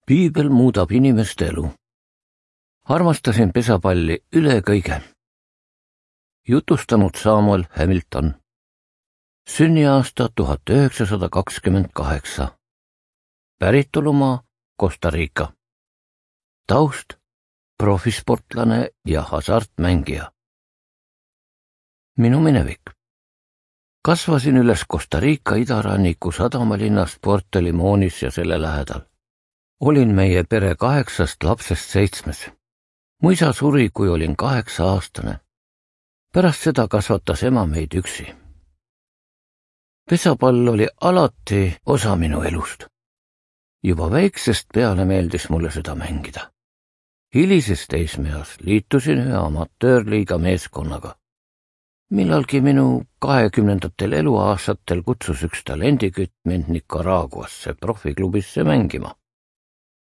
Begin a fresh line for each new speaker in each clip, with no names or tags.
Piibel muudab inimeste elu. Armastasin pesapalli üle kõige. Jutustanud Samuel Hamilton. Sünniaasta 1928. Päritolumaa Costa Rica. Taust profisportlane ja hasartmängija. Minu minevik. Kasvasin üles Costa Rica idaranniku sadamalinnas Puerto Limonis ja selle lähedal. Olin meie pere 8 lapsest 7. Mu isa suri, kui olin 8-aastane. Pärast seda kasvatas ema meid üksi. Pesapall oli alati osa minu elust. Juba väiksest peale meeldis mulle seda mängida. Hilises teismeeas liitusin ühe amatöörliiga meeskonnaga. Millalgi minu 20. eluaastatel kutsus üks talendikütt mind Nicaraguasse profiklubisse mängima.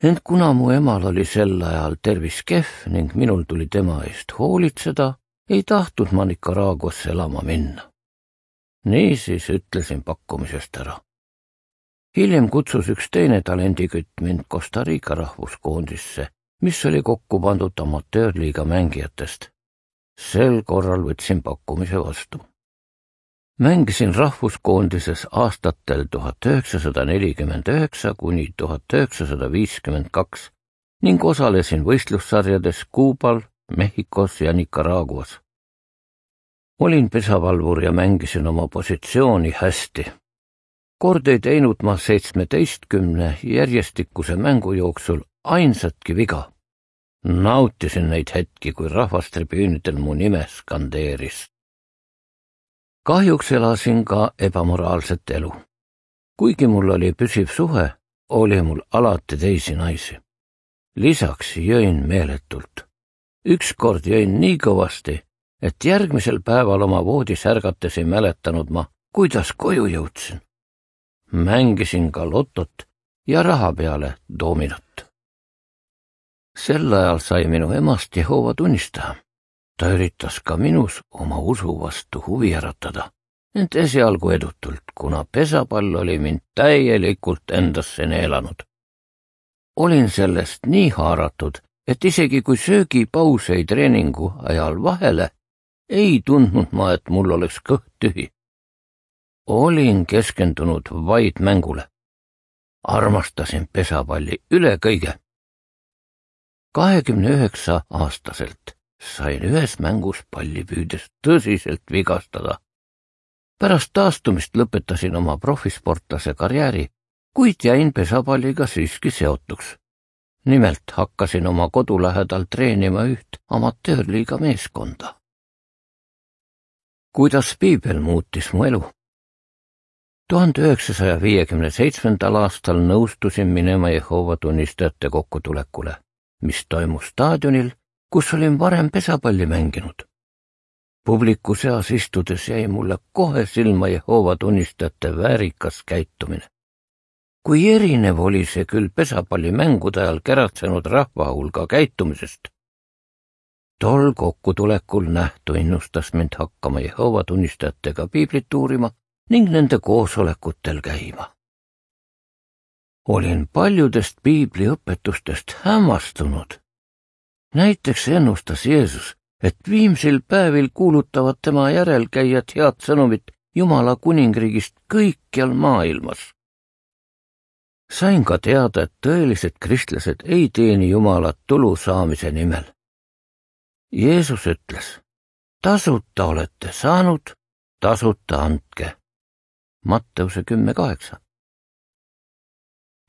Ent kuna mu emal oli sel ajal tervis kehv ning minul tuli tema eest hoolitseda, ei tahtnud ma Nicaraguasse elama minna. Niisiis ütlesin pakkumisest ära. Hiljem kutsus üks teine talendikütt mind Costa Rica rahvuskoondisse, mis oli kokku pandud amatöörliiga mängijatest. Sel korral võtsin pakkumise vastu. Mängisin rahvuskoondises aastatel 1949 kuni 1952 ning osalesin võistlussarjades Kuubal, Mehhikos ja Nicaraguas. Olin pesavalvur ja mängisin oma positsiooni hästi. Kord ei teinud ma 17 järjestikuse mängu jooksul ainsatki viga. Nautisin neid hetki, kui rahvastribüünidel mu nime skandeeris. Kahjuks elasin ka ebamoraalset elu. Kuigi mul oli püsiv suhe, oli mul alati teisi naisi. Lisaks jõin meeletult. Ükskord jõin nii kõvasti, et järgmisel päeval oma voodis ärgates ei mäletanud ma, kuidas koju jõudsin. Mängisin ka lotot ja raha peale dominot. Sel ajal sai minu emast Jehova tunnistaja. Ta üritas ka minus oma usu vastu huvi äratada, ent esialgu edutult, kuna pesapall oli mind täielikult endasse neelanud. Olin sellest nii haaratud, et isegi kui söögipaus jäi treeningu ajal vahele, ei tundnud ma, et mul oleks kõht tühi. Olin keskendunud vaid mängule. Armastasin pesapalli üle kõige. 29-aastaselt sain ühes mängus palli püüdes tõsiselt vigastada. Pärast taastumist lõpetasin oma profisportlase karjääri, kuid jäin pesapalliga siiski seotuks. Nimelt hakkasin oma kodu lähedal treenima üht amatöörliiga meeskonda. Kuidas Piibel muutis mu elu? 1957. aastal nõustusin minema Jehova tunnistajate kokkutulekule, mis toimus staadionil, kus olin varem pesapalli mänginud. Publiku seas istudes jäi mulle kohe silma Jehova tunnistajate väärikas käitumine. Kui erinev oli see küll pesapallimängude ajal käratsenud rahva hulga käitumisest. Tol kokkutulekul nähtu innustas mind hakkama Jehova tunnistajatega piiblit uurima ning nende koosolekutel käima. Olin paljudest piibli õpetustest hämmastunud. Näiteks ennustas Jeesus, et viimsil päevil kuulutavad tema järelkäijad head sõnumit Jumala kuningriigist kõikjal maailmas. Sain ka teada, et tõelised kristlased ei teeni Jumalat tulu saamise nimel. Jeesus ütles, tasuta olete saanud, tasuta andke. Matteuse 10:8.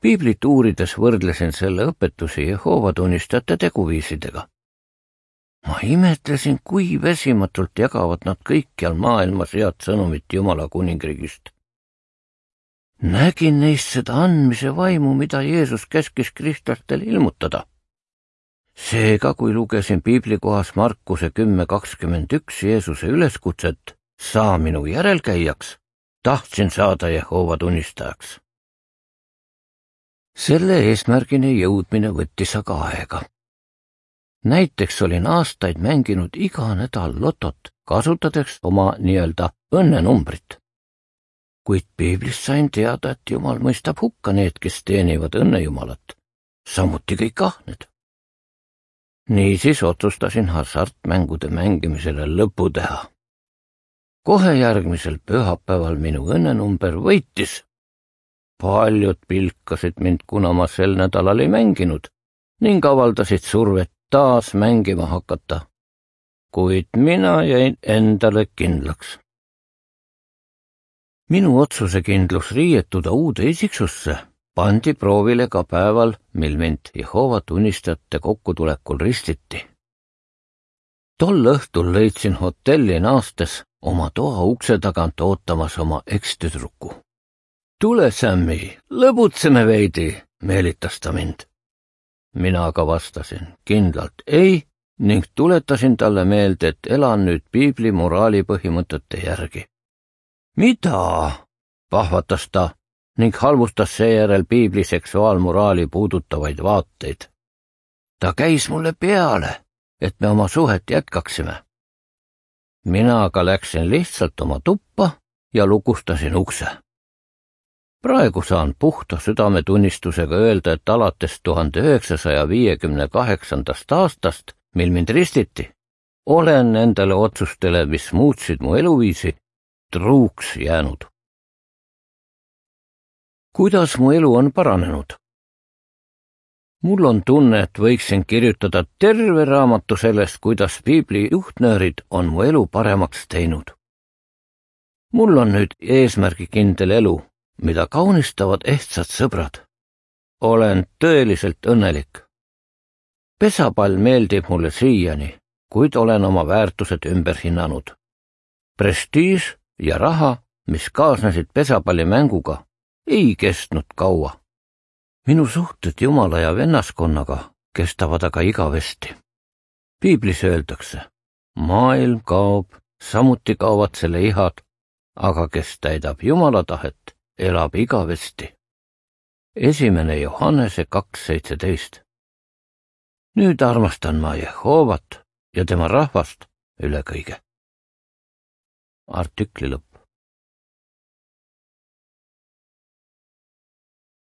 Piiblit uurides võrdlesin selle õpetusi Jehova tunnistajate teguviisidega. Ma imetlesin, kui vesimatult jagavad nad kõikjal maailmas head sõnumit Jumala kuningriigist. Nägin neist seda andmise vaimu, mida Jeesus käskis kristlastel ilmutada. Seega, kui lugesin piiblikohas Markuse 10:21 Jeesuse üleskutset, saa minu järelkäijaks, tahtsin saada Jehova tunnistajaks. Selle eesmärgini jõudmine võttis aga aega. Näiteks olin aastaid mänginud iga nädal lotot, kasutades oma nii-öelda õnnenumbrit. Kuid piiblist sain teada, et Jumal mõistab hukka need, kes teenivad õnnejumalat, samuti kõik ahned. Niisiis otsustasin hasartmängude mängimisele lõpu teha. Kohe järgmisel pühapäeval minu õnnenumber võitis. Paljud pilkasid mind, kuna ma sel nädalal ei mänginud ning avaldasid survet taas mängima hakata. Kuid mina jäin endale kindlaks. Minu otsusekindlus riietuda uude isiksusse pandi proovile ka päeval, mil mind Jehoova tunnistajate kokkutulekul ristiti. Tol õhtul leidsin hotelli naastes oma toa ukse tagant ootamas oma ekstüdruku. Tule, Sammy, lõbutseme veidi, meelitas ta mind. Mina aga vastasin kindlalt ei ning tuletasin talle meelde, et elan nüüd piibli moraali põhimõtete järgi. Mida? Pahvatas ta ning halvustas seejärel piibli seksuaalmoraali puudutavaid vaateid. Ta käis mulle peale, et me oma suhet jätkaksime. Mina aga läksin lihtsalt oma tuppa ja lukustasin ukse. Praegu saan puhta südametunnistusega öelda, et alates 1958. aastast, mil mind ristiti, olen nendele otsustele, mis muutsid mu eluviisi, truuks jäänud. Kuidas mu elu on paranenud? Mul on tunne, et võiksin kirjutada terve raamatu sellest, kuidas piibli juhtnöörid on mu elu paremaks teinud. Mul on nüüd eesmärgikindel elu, mida kaunistavad ehtsad sõbrad. Olen tõeliselt õnnelik. Pesapall meeldib mulle siiani, kuid olen oma väärtused ümber hinnanud. Prestiiž ja raha, mis kaasnesid pesapallimänguga, ei kestnud kaua. Minu suhted Jumala ja vennaskonnaga kestavad aga igavesti. Piiblis öeldakse, maailm kaob, samuti kaovad selle ihad, aga kes täidab Jumala tahet, elab igavesti. 1. Johannese 2:17. Nüüd armastan ma Jehoovat ja tema rahvast üle kõige. Artikli lõpp.